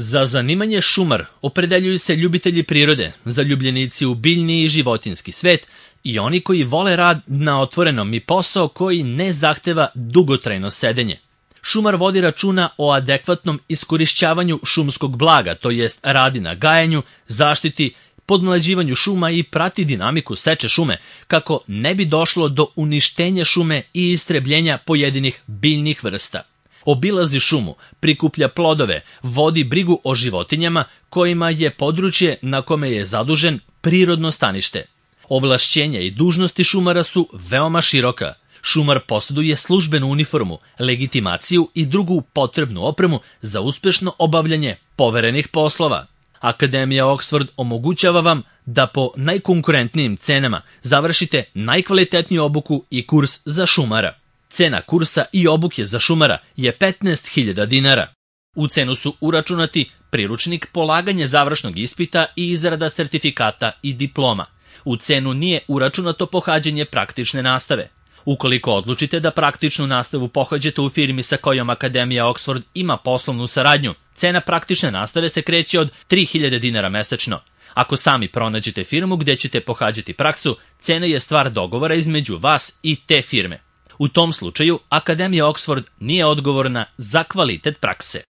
Za zanimanje šumar opredeljuju se ljubitelji prirode, zaljubljenici u biljni i životinjski svet i oni koji vole rad na otvorenom i posao koji ne zahteva dugotrajno sedenje. Šumar vodi računa o adekvatnom iskorišćavanju šumskog blaga, to jest radi na gajenju, zaštiti, podmlađivanju šuma i prati dinamiku seče šume, kako ne bi došlo do uništenja šume i istrebljenja pojedinih biljnih vrsta. Obilazi šumu, prikuplja plodove, vodi brigu o životinjama kojima je područje na kome je zadužen prirodno stanište. Ovlašćenja i dužnosti šumara su veoma široka. Šumar posjeduje službenu uniformu, legitimaciju i drugu potrebnu opremu za uspešno obavljanje poverenih poslova. Akademija Oxford omogućava vam da po najkonkurentnijim cenama završite najkvalitetniju obuku i kurs za šumara. Cena kursa i obuke za šumara je 15.000 dinara. U cenu su uračunati priručnik, polaganje završnog ispita i izrada sertifikata i diploma. U cenu nije uračunato pohađanje praktične nastave. Ukoliko odlučite da praktičnu nastavu pohađate u firmi sa kojom Akademija Oxford ima poslovnu saradnju, cena praktične nastave se kreće od 3.000 dinara mesečno. Ako sami pronađete firmu gdje ćete pohađati praksu, cena je stvar dogovora između vas i te firme. U tom slučaju, Akademija Oxford nije odgovorna za kvalitet prakse.